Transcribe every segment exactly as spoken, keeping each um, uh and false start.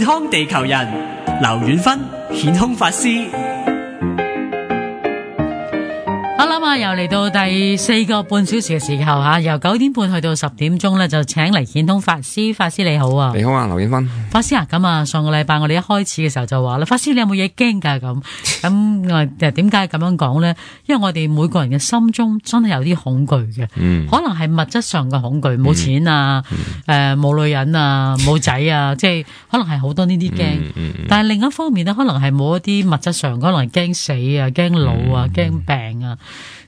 康地球人，劉遠芬顯空法師。好啦嘛，又嚟到第四個半小時嘅時候吓，由九點半去到十點鐘咧，就請嚟顯通法師。法師你好啊，你好啊，劉遠芬。法師啊，咁啊，上個禮拜我哋一開始嘅時候就話啦，法師你有冇嘢驚噶咁？咁我誒點解咁樣講咧？因為我哋每個人嘅心中真係有啲恐懼嘅，嗯、可能係物質上嘅恐懼，冇錢啊，誒、嗯、冇、呃、女人啊，冇仔啊，即係可能係好多呢啲驚。嗯嗯、但係另一方面咧，可能係冇一啲物質上，可能係驚死啊，驚老啊，驚、嗯、病啊。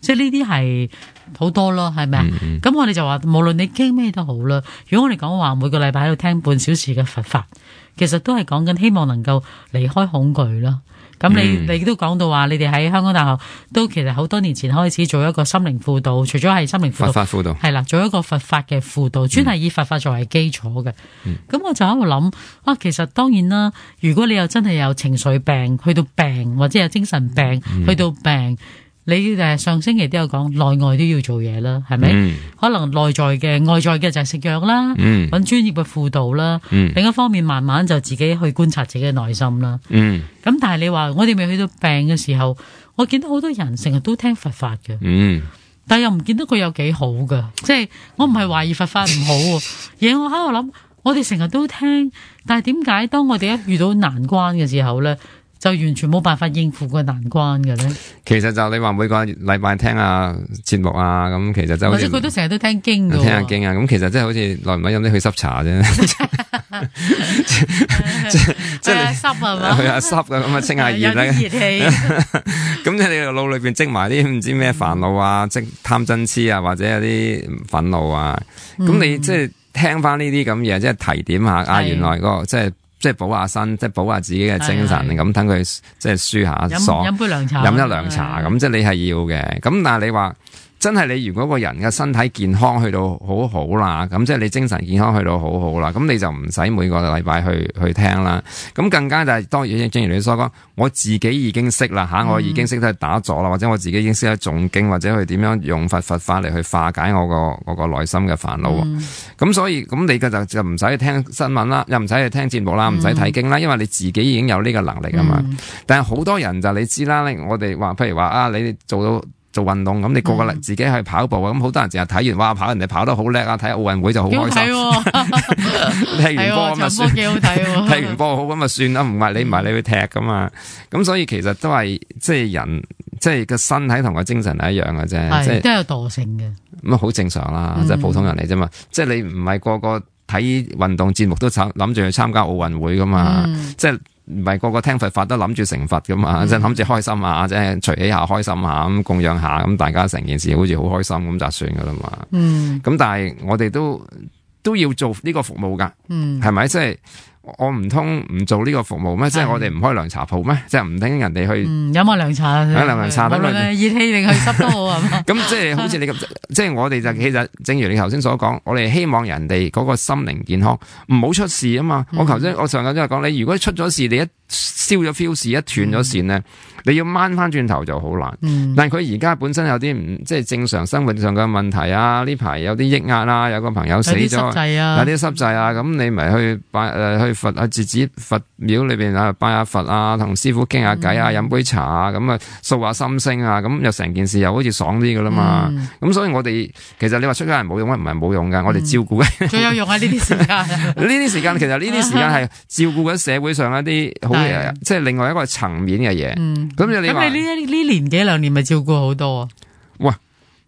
即係呢啲係好多咯，係咪啊？咁、嗯嗯、我哋就話，無論你驚咩都好啦。如果我哋講話每個禮拜喺度聽半小時嘅佛法，其實都係講緊希望能夠離開恐懼啦。咁你、嗯、你都講到話，你哋喺香港大學都其實好多年前開始做一個心靈輔導，除咗係心靈輔導，佛法輔導係啦，做一個佛法嘅輔導，專係以佛法作為基礎嘅。咁、嗯、我就喺度諗，啊，其實當然啦，如果你又真係有情緒病，去到病或者有精神病，嗯、去到病。你誒上星期都有講內外都要做嘢啦，係咪？嗯、可能內在嘅、外在嘅就係食藥啦，揾、嗯、專業嘅輔導啦。嗯、另一方面，慢慢就自己去觀察自己嘅內心啦。咁、嗯、但係你話我哋未去到病嘅時候，我見到好多人成日都聽佛法嘅，嗯、但係又唔見到佢有幾好㗎。即係我唔係懷疑佛法唔好，而我喺度諗，我哋成日都聽，但係點解當我哋一遇到難關嘅時候咧？就完全冇辦法應付個難關嘅咧。其實就你話每個禮拜聽下節目啊，咁其實就好似或者佢都成日都聽經嘅，聽下經啊。咁其實即係好似耐唔耐飲啲去濕茶啫，即即係濕係嘛？去下濕嘅咁啊，清下熱咧。熱氣。咁即係你腦裏邊積埋啲唔知咩煩惱啊，即貪嗔痴啊，或者有啲憤怒啊。咁、嗯、你即係聽翻呢啲咁嘢，即係提點下啊，原來嗰個即係。即係補下身，即係補下自己嘅精神，咁等佢即係舒下爽，飲杯涼茶，飲一涼茶咁，即係你係要嘅。咁但係你話真係你如果個人嘅身體健康去到好好啦，咁即係你精神健康去到好好啦，咁你就唔使每個禮拜去去聽啦。咁更加就係、是、當然正如你所講，我自己已經識啦吓，我已經識得打坐啦，或者我自己已經識得誦經，或者去點樣用佛佛法嚟去化解我個我個內心嘅煩惱。咁、嗯、所以咁你嘅就就唔使去聽新聞啦，又唔使去聽節目啦，唔使睇經啦，因為你自己已經有呢個能力啊嘛。嗯、但係好多人就你知啦，我哋話譬如話啊，你做到。做運動咁，你個個自己去跑步啊！咁好多人淨係睇完，哇！跑人哋跑得好叻啊！睇奧運會就好開心。踢完波咁啊算，幾好睇。踢完波好咁啊算啦，唔係你唔係你去踢噶嘛。咁所以其實都係即係人，即係個身體同個精神係一樣嘅啫，即係都有惰性嘅。咁啊好正常啦，即係普通人嚟啫嘛。即係你唔係個個睇運動節目都諗住去參加奧運會噶嘛，即係。唔係個個聽佛法都諗住成佛噶嘛，即係諗住開心啊，即係隨喜下開心下咁供養下，咁大家成件事好似好開心咁就算噶啦嘛。嗯，咁但係我哋都都要做呢個服務噶，嗯，係咪？即係我唔通唔做呢個服務咩？即係我哋唔開涼茶鋪咩？即係唔聽人哋去飲下涼茶，飲涼茶得啦，熱氣定去濕都好係嘛？咁即係好似你咁，即係我哋就其實正如你頭先所講，我哋希望人哋嗰個心靈健康唔好出事啊嘛。我頭先我上個真係講，你如果出咗事，你一燒咗 fuse 一斷咗線咧，你要掹翻轉頭就好難。嗯、但係佢而家本身有啲唔即係正常生活上嘅問題啊，呢排有啲抑壓啦，有個朋友死咗，有啲濕滯啊，有啲濕滯啊，咁你咪去拜誒、呃、去佛啊自子佛廟裏邊啊拜下佛啊，同師傅傾下偈啊，飲、嗯、杯茶啊，咁啊掃下心聲啊，咁又成件事又好似爽啲噶啦嘛。咁、嗯、所以我哋其實你話出家人冇用啊，唔係冇用噶，我哋照顧嘅最有用啊呢啲時間。呢啲時間其實呢啲時間係照顧緊社會上一啲好。即係另外一個層面嘅嘢，咁、嗯、你咁你呢呢年幾兩年咪照顧好多啊？喂，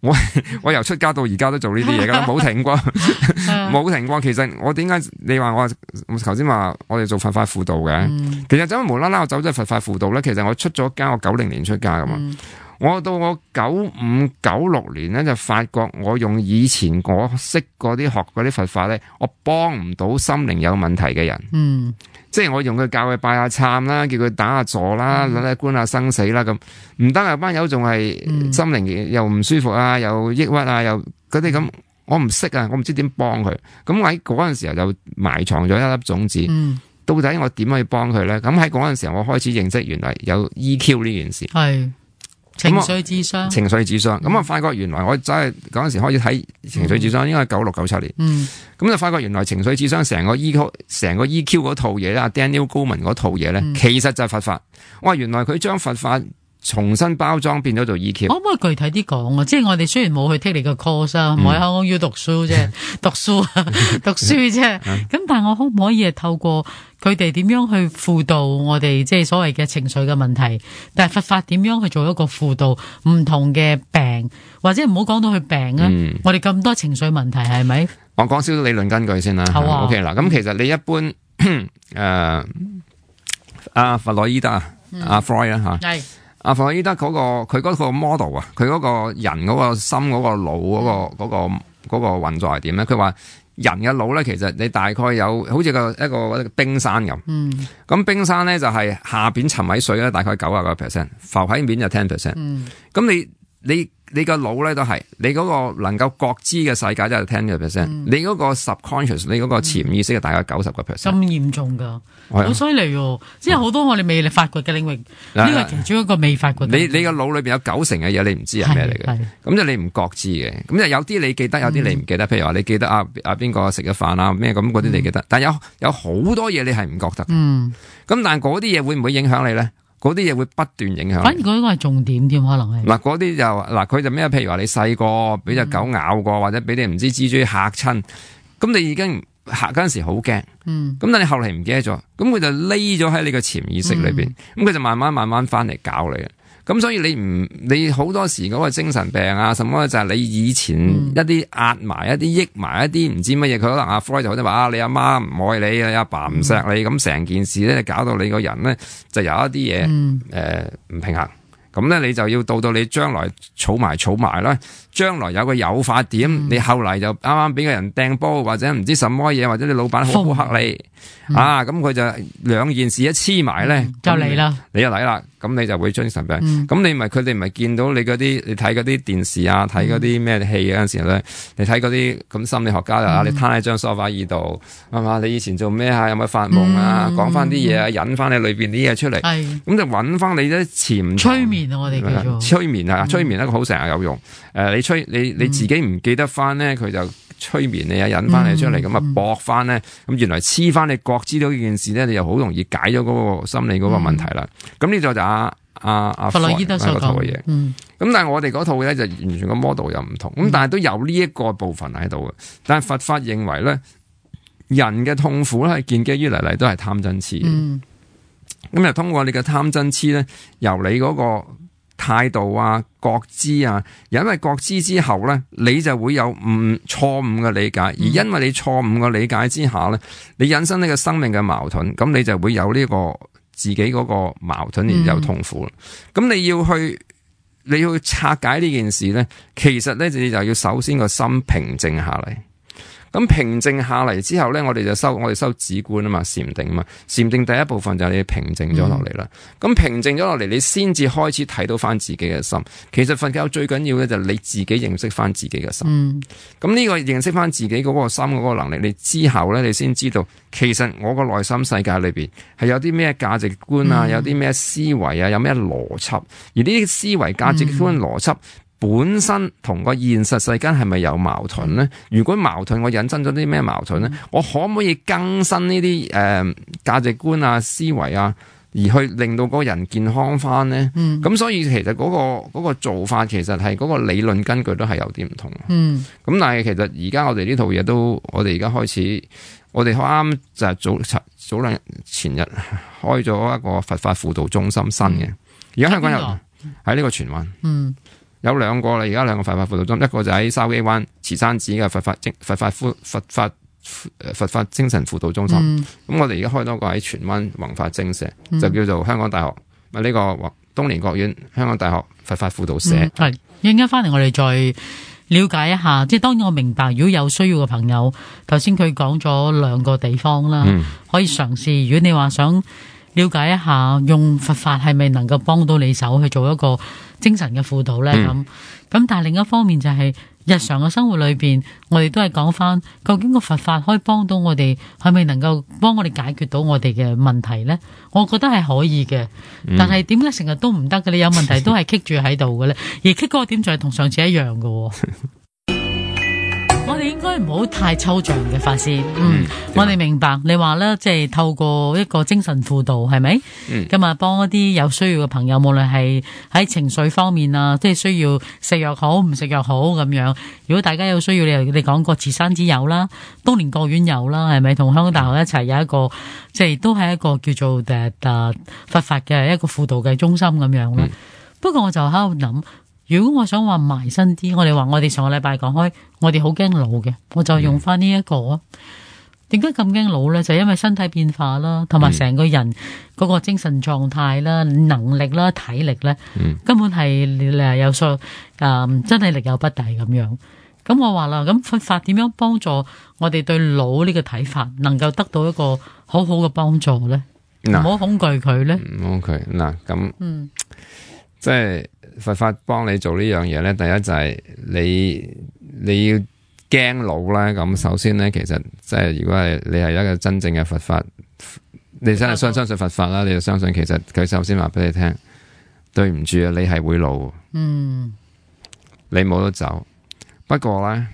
我我由出家到而家都做呢啲嘢噶，冇停過，冇停過。其實我點解你話我頭先話我哋做佛法輔導嘅？嗯、其實走無啦啦我走咗佛法輔導咧，其實我出咗家，我九零年出家噶嘛。嗯、我到我九五九六年咧就發覺，我用以前我識嗰啲學嗰啲佛法咧，我幫唔到心靈有問題嘅人。嗯。即係我用佢教佢拜下懺啦，叫佢打下坐啦，諗下觀下生死啦，咁唔得啊！班友仲係心靈又唔舒服啊，又抑鬱啊，又嗰啲咁，我唔識啊，我唔知點幫佢。咁喺嗰陣時候就埋藏咗一粒種子，嗯、到底我點可以幫佢咧？咁喺嗰陣時候我開始認識原來有 E Q 呢件事。係情緒智商，情緒智商。咁啊、嗯，發覺原來我真係嗰陣時開始睇情緒智商，嗯、應該係九六九七年。嗯，咁就發覺原來情緒智商成個 E Q 成個 E Q 嗰套嘢咧，Daniel Goleman 嗰套嘢咧，嗯、其實就係佛法。哇，原來佢將佛法重新包裝變咗做 E Q。可唔可以具體啲講啊？即係我哋雖然冇去 take 你個 course 啊，唔喺香港要讀書啫，讀書讀書啫。咁但係我可唔可以係透過佢哋點樣去輔導我哋即係所謂嘅情緒嘅問題？但係佛法點樣去做一個輔導唔同嘅病，或者唔好講到佢病啊？嗯、我哋咁多情緒問題係咪？我講少少理論根據先啦。好啊。OK 啦，咁其實你一般誒阿弗洛伊德啊，阿 Freud 啊嚇。係。阿弗洛伊德嗰個佢嗰個 model 啊，佢嗰個人嗰個心嗰個腦嗰個嗰個嗰個運作係點咧？佢話人嘅腦咧，其實你大概有好似個一個一個冰山咁。嗯。咁冰山咧就係下邊沉喺水咧，大概九啊個 percent， 浮喺面就 ten percent。嗯。咁你你你個腦咧都係你嗰個能夠覺知嘅世界就係 ten percent，你嗰個 subconscious 你嗰個潛意識係大概九十個 percent。咁嚴重㗎？好犀利喎！即係好多我哋未發掘嘅領域，呢個係其中一個未發掘。你你個腦裏邊有九成嘅嘢你唔知係咩嚟嘅，咁就你唔覺知嘅。咁就有啲你記得，有啲你唔記得。譬如話你記得啊啊邊個食咗飯啊咩咁嗰啲你記得，但係有有好多嘢你係唔覺得嘅。嗯。咁但係嗰啲嘢會唔會影響你咧？嗰啲嘢會不斷影響。反而嗰個係重點添，可能係。嗱，嗰啲就嗱，佢就咩？譬如話你細個俾隻狗咬過，或者俾你唔知蜘蛛嚇親，咁你已經嚇嗰陣時好驚。嗯。咁但你後嚟唔記得咗，咁佢就匿咗喺你個潛意識裏邊，咁佢、嗯、就慢慢慢慢翻嚟搞你。咁所以你唔你好多時嗰個精神病啊，什麼就係你以前一啲壓埋、嗯、一啲抑埋一啲唔知乜嘢，佢可能阿 Freud 就好似話啊，你阿媽唔愛你，你阿爸唔錫你，咁成、嗯、件事咧搞到你個人咧就有一啲嘢誒唔平衡。咁咧你就要到到你將來儲埋儲埋啦，將來有個誘發點，嗯、你後嚟就啱啱俾個人掟波或者唔知什麼嘢，或者你老闆好好黑你、嗯、啊，咁佢就兩件事一黐埋咧，就嚟啦，你就嚟啦。咁你就會精神病，咁、嗯、你咪佢哋咪見到你嗰啲，你睇嗰啲電視啊，睇嗰啲咩戲嗰陣時咧，你睇嗰啲咁心理學家啊，嗯、你攤喺張梳化椅度，係嘛？你以前做咩啊？有冇發夢啊？講翻啲嘢啊，引翻你裏邊啲嘢出嚟，咁、嗯、就揾翻你啲潛催眠啊！我哋叫做催眠啊，催眠一個好成日有用。誒、呃，你催你你自己唔記得翻咧，佢就催眠你啊，引翻你出嚟，咁啊搏翻咧，咁原來黐翻你覺知到呢件事咧，你就好容易解咗嗰個心理嗰個問題啦。咁呢、嗯、就就阿阿阿弗洛伊德所講嘅嘢。咁、嗯、但係我哋嗰套咧就完全個 model 又唔同。咁、嗯、但係都有呢一個部分喺度嘅。但係佛法認為咧，人嘅痛苦咧係建基於嚟嚟都係貪嗔痴。咁就、嗯、通過你嘅貪嗔痴咧，由你嗰個態度啊、覺知啊，因為覺知之後咧，你就會有誤錯誤嘅理解，而因為你錯誤嘅理解之下咧，你引申呢個生命嘅矛盾，咁你就會有呢個自己嗰個矛盾而有痛苦。咁、嗯、你要去你要拆解呢件事咧，其實咧你就要首先個心平靜下嚟。咁平靜下嚟之後咧，我哋就收我哋收止觀啊嘛，禪定啊嘛。禪定第一部分就係你平靜咗落嚟啦。咁、嗯、平靜咗落嚟，你先至開始睇到翻自己嘅心。其實佛教最緊要嘅就係你自己認識翻自己嘅心。咁呢、嗯、個認識翻自己嗰個心嗰個能力，你之後咧，你先知道其實我個內心世界裏邊係有啲咩價值觀啊，嗯、有啲咩思維啊，有咩邏輯。而呢啲思維、價值觀、邏輯。本身同個現實世間係咪有矛盾咧？如果矛盾，我引申咗啲咩矛盾咧？我可唔可以更新呢啲誒價值觀啊、思維啊，而去令到嗰個人健康翻咧？咁、嗯、所以其實嗰、嗰個嗰個做法其實係嗰個理論根據都係有啲唔同。咁、嗯、但係其實而家我哋呢套嘢都，我哋而家開始，我哋啱就係早早兩日前日開咗一個佛法輔導中心新嘅，而家香港有喺呢個荃灣。嗯有兩個啦，而家兩個佛法輔導中心，一個就喺筲箕灣慈山寺嘅佛法精佛法佛法佛法精神輔導中心。咁、嗯、我哋而家開多個喺荃灣宏法精舍，嗯、就叫做香港大學咪呢、呢個東蓮國院香港大學佛法輔導社。係一陣間翻嚟，我哋再了解一下。即係當然我明白，如果有需要嘅朋友，頭先佢講咗兩個地方啦，嗯、可以嘗試。如果你話想了解一下，用佛法係咪能夠幫到你手去做一個精神嘅輔導咧？咁咁、嗯，但係另一方面就係、是、日常嘅生活裏邊，我哋都係講翻，究竟個佛法可以幫到我哋，係咪能夠幫我哋解決到我哋嘅問題呢？我覺得係可以嘅，但係點解成日都唔得嘅？你有問題都係棘住喺度嘅咧，而棘嗰個點就係同上次一樣嘅。我哋應該唔好太抽象嘅法師，嗯，嗯我哋明白你話咧，即係透過一個精神輔導，係咪？嗯，咁啊，幫一啲有需要嘅朋友，無論係喺情緒方面啊，即係需要食藥好，唔食藥好咁樣。如果大家有需要，你你講過慈山寺有啦，東蓮國院有啦，係咪？同香港大學一齊有一個，即係都係一個叫做誒誒佛法嘅一個輔導嘅中心咁樣啦。嗯、不過我就喺度諗。如果我想話埋身啲，我哋話我哋上個禮拜講開，我哋好驚老嘅，我就用翻呢一個啊。點解咁驚老咧？就係因為身體變化啦，同埋成個人嗰個精神狀態啦、能力啦、體力咧，嗯、根本係誒有數誒，真係力有不逮咁樣。咁我話啦，咁佛法點樣幫助我哋對老呢個睇法，能夠得到一個好好嘅幫助咧？唔好恐懼佢咧。唔好佢嗱咁，嗯，即係。佛法幫你做呢樣嘢咧，第一就係你你要驚老啦。咁首先咧，其實即係如果係你係一個真正嘅佛法，你真係相相信佛法啦，你就相信其實佢首先話俾你聽，對唔住啊，你係會老，嗯，你冇得走。不過咧，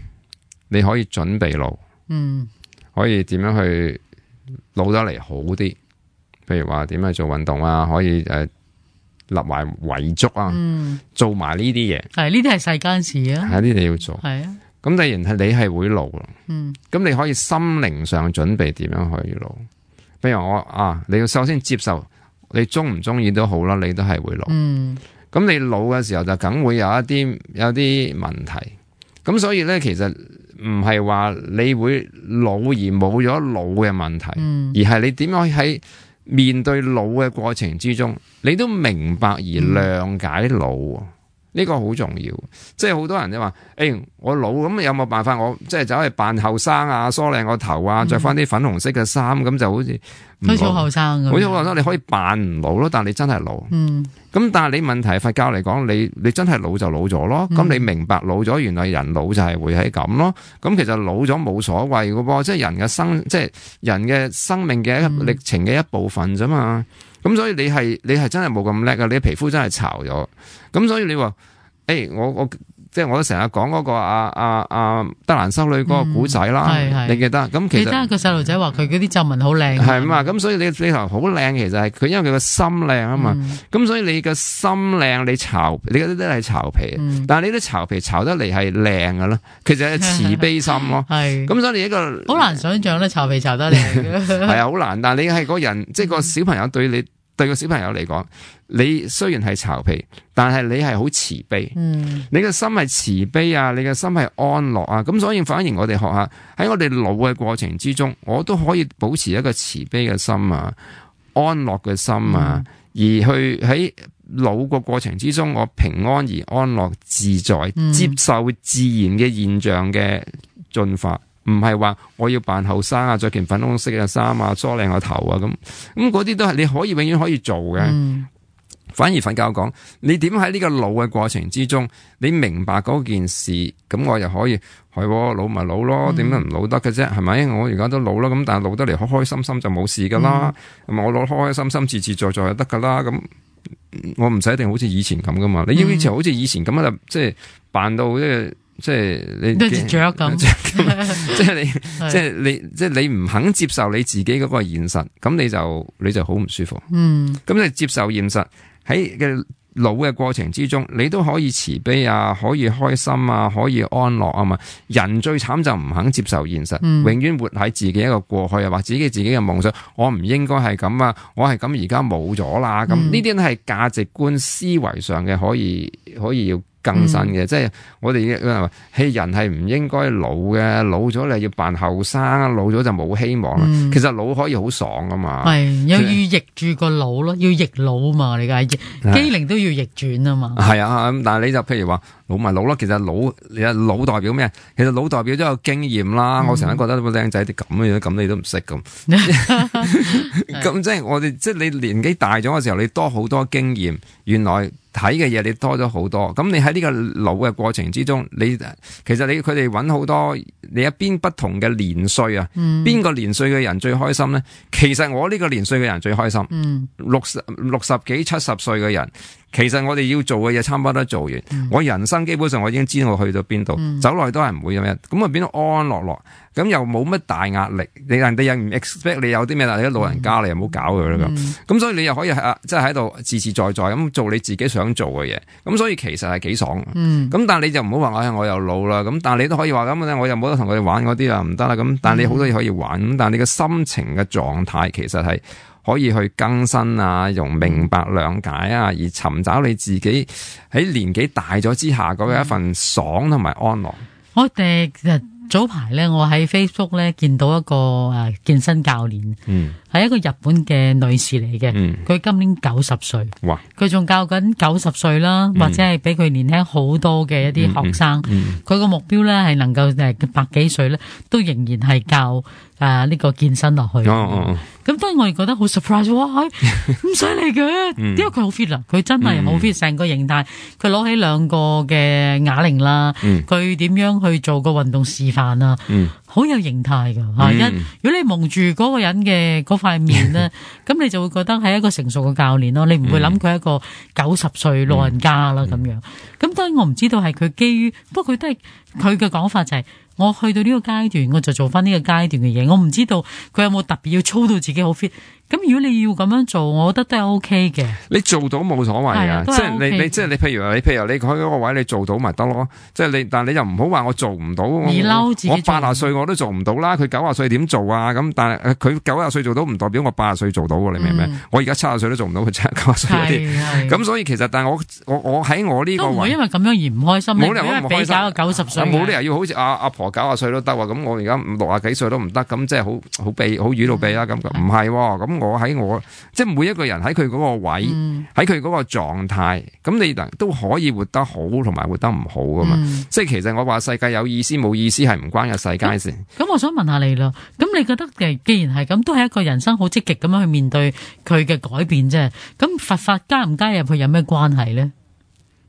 你可以準備老，嗯，可以點樣去老得嚟好啲？譬如話點樣去做運動啊，可以誒。呃立埋遺囑啊，嗯、做埋呢啲嘢，係呢啲係世間事啊，係呢啲要做，係啊。咁既然係你係會老咯，嗯，咁你可以心靈上準備點樣可以老？譬如我啊，你要首先接受，你中唔中意都好啦，你都係會老，嗯。咁你老嘅時候就梗會有一啲有啲問題，咁所以咧其實唔係話你會老而冇咗老嘅問題，嗯、而係你點樣喺面對老嘅過程之中，你都明白而諒解老，呢、嗯、個好重要。即係好多人就話，誒、欸，我老咁有冇辦法？我即係走去扮後生啊，梳靚個頭啊，着翻啲粉紅色嘅衫，咁就好似好似好後生咁。好似好後生，你可以扮唔老咯，但係你真係老。嗯。咁但係你問題，佛教嚟講，你你真係老就老咗咯。咁、嗯、你明白老咗，原來人老就係會係咁咯。咁其實老咗冇所謂噶噃，即係人嘅生，即係人嘅生命嘅歷程嘅一部分啫嘛。咁、嗯、所以你係你係真係冇咁叻噶，你皮膚真係巢咗。咁所以你話，誒、欸，我我。即係我都成日講嗰個阿阿阿德蘭修女嗰個古仔啦，嗯、你記得？咁其實記得個細路仔話佢嗰啲皺紋好靚，係嘛？咁所以你你頭好靚，其實係佢因為佢個心靚啊嘛。咁、嗯、所以你個心靚，你巢你嗰啲都係巢皮，嗯、但係你啲巢皮巢得嚟係靚噶咯，其實係慈悲心咯。係咁，所以你一個好難想象咧，巢皮巢得靚嘅係啊，好難。但係你係個人，即係個小朋友對你。對個小朋友嚟講，你雖然係巢皮，但係你係好慈悲。嗯，你嘅心係慈悲啊，你嘅心係安樂啊。咁所以反而我哋學下喺我哋老嘅過程之中，我都可以保持一個慈悲嘅心啊，安樂嘅心啊，嗯、而去喺老個過程之中，我平安而安樂自在，嗯、接受自然嘅現象嘅進化。唔係話我要扮後生啊，着件粉紅色嘅衫啊，梳靚個頭啊，咁咁嗰啲都係你可以永遠可以做嘅。嗯、反而佛教講，你點喺呢個老嘅過程之中，你明白嗰件事，咁我又可以係老咪老咯，點解唔老得嘅啫？係咪？我而家都老啦，咁但係老得嚟開開心心就冇事噶啦，咁、嗯、我老開開心心自自在在就得噶啦，咁我唔使一定好似以前咁噶嘛。你要以前好似以前咁啊，即係扮到即係。即係你，都似雀咁，即係你，即係你，即係你唔肯接受你自己嗰個現實，咁你就你就好唔舒服。嗯，咁你接受現實喺嘅老嘅過程之中，你都可以慈悲啊，可以開心啊，可以安樂啊嘛。人最慘就唔肯接受現實，嗯、永遠活喺自己一個過去啊，或自己自己嘅夢想。我唔應該係咁啊，我係咁而家冇咗啦。咁呢啲都係價值觀思維上嘅，可以可以要更新嘅，嗯、即係我哋話，係人係唔應該老嘅，老咗你要扮後生，老咗就冇希望啦。嗯、其實老可以好爽噶嘛，係又要逆住個腦咯，要逆腦嘛，你嘅機靈都要逆轉啊嘛。係啊，咁但係你就譬如話，老咪老咯。其實老你老代表咩？其實老代表咗有經驗啦。嗯、我成日覺得個靚仔啲咁嘅樣，咁你都唔識咁。咁即係我哋，即係你年紀大咗嘅時候，你多好多經驗。原來睇嘅嘢你多咗好多。咁你喺呢個老嘅過程之中，你其實你佢哋揾好多你一邊不同嘅年歲啊，邊、嗯、個年歲嘅人最開心咧？其實我呢個年歲嘅人最開心。嗯、六十六十幾七十歲嘅人。其實我哋要做嘅嘢差唔多都做完，嗯、我人生基本上我已經知道我去到邊度，嗯、走落去都係唔會咁樣，咁啊變到安安樂樂，咁又冇乜大壓力，你人哋又唔 expect 你有啲咩，但係啲老人家、嗯、你又唔好搞佢啦咁，咁、嗯、所以你又可以啊，即係喺度自自在在咁做你自己想做嘅嘢，咁所以其實係幾爽，咁、嗯、但係你就唔好話我我又老啦，咁但係你都可以話咁咧，我又冇得同佢哋玩嗰啲啊，唔得啦，咁但係你好多嘢可以玩，咁但係你嘅心情嘅狀態其實係。可以去更新啊，用明白諒解啊，而尋找你自己喺年紀大咗之下嗰個一份爽同埋安樂。我哋早排咧，我喺 Facebook 咧見到一個誒健身教練，嗯，係一個日本嘅女士嚟嘅，嗯，佢今年九十歲，哇，佢仲教緊九十歲啦，或者係比佢年輕好多嘅一啲學生，佢個目標咧係能夠誒百幾歲咧都仍然係教誒呢個健身落去。哦哦，咁當然我哋覺得好 surprise， 哇，唔使嚟嘅，因為佢好 fit 啦，佢真係好 fit，成個形態，佢攞起兩個嘅啞鈴啦，佢點樣去做個運動示範啊，好有形態噶吓。一如果你蒙住嗰個人嘅嗰塊面咧，咁你就會覺得係一個成熟嘅教練咯，你唔會諗佢係一個九十歲老人家啦咁樣。咁當然我唔知道係佢基於，不過佢都係佢嘅講法就係。我去到呢個階段，我就做翻呢個階段嘅嘢。我唔知道佢有冇特別要操到自己好 fit。咁如果你要咁樣做，我覺得都係 O K 嘅。你做到冇所謂啊，即係你你即係你，譬如話你譬如你喺嗰個位你做到咪得咯。即係你，但係你又唔好話我做唔到。你嬲自己，我八十歲我都做唔到啦。佢九十歲點做啊？咁但係佢九十歲做到唔代表我八十歲做到喎。你明唔明？嗯、我而家七十歲都做唔到，佢七十九十歲嗰啲。咁所以其實，但係我我我喺我呢個位，都唔會因為咁樣而唔開心。冇理由唔開心。比較九十歲，冇理由要好似阿阿婆九十歲都得喎。咁我而家六十幾歲都唔得，咁即係好好避好語到避啦。咁唔係喎。咁我喺我。即係每一個人喺佢嗰個位，喺佢嗰個狀態，咁你都可以活得好，同埋活得唔好噶嘛。嗯、即係其實我話世界有意思冇意思係唔關個世界事。咁我想問下你啦，咁你覺得既然係咁，都係一個人生好積極咁樣去面對佢嘅改變啫。咁佛法加唔加入去有咩關係咧？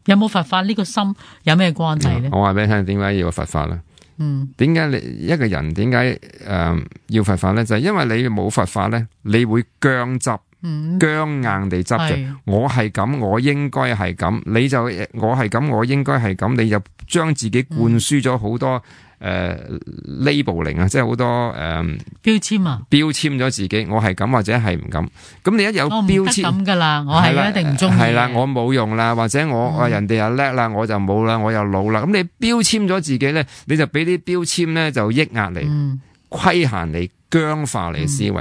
有冇佛法呢個心有咩關係咧？我話俾你聽，點解要佛法咧？嗯，點解你一個人點解誒要佛法咧？就係、是、因為你冇佛法咧，你會僵執，嗯、僵硬地執着。是我係咁，我應該係咁，你就我係咁，我應該係咁，你就將自己灌輸咗好多誒 labeling 啊，即係好多誒、呃、標籤啊，標籤咗自己，我係咁或者係唔咁。咁你一有標籤咁噶啦，我係一定唔中意。係啦，我冇用啦，或者我、嗯、人哋又叻啦，我就冇啦，我又老啦。咁你標籤咗自己咧，你就俾啲標籤咧就抑壓你、嗯、規限你。僵化你思維，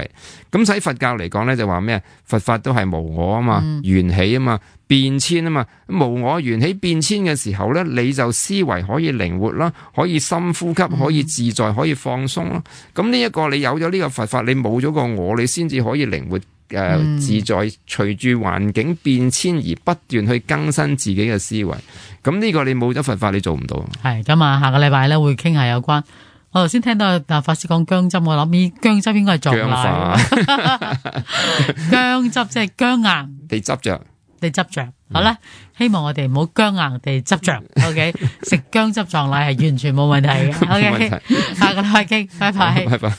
咁喺、嗯、佛教嚟講咧就話咩？佛法都係無我啊嘛，嗯、緣起啊嘛，變遷啊嘛。無我緣起變遷嘅時候咧，你就思維可以靈活啦，可以深呼吸，可以自在，可以放鬆啦。咁呢一個你有咗呢個佛法，你冇咗個我，你先至可以靈活誒、呃嗯、自在，隨住環境變遷而不斷去更新自己嘅思維。咁呢個你冇咗佛法，你做唔到。係咁啊，下個禮拜咧會傾下有關。我頭先聽到啊法師講薑汁，我諗起薑汁應該係撞奶。薑汁即係薑硬，你執着，你執着。好啦，希望我哋唔好薑硬地執着。OK， 食薑汁撞奶係完全冇問題嘅。OK， 下個禮拜傾，拜拜。拜拜。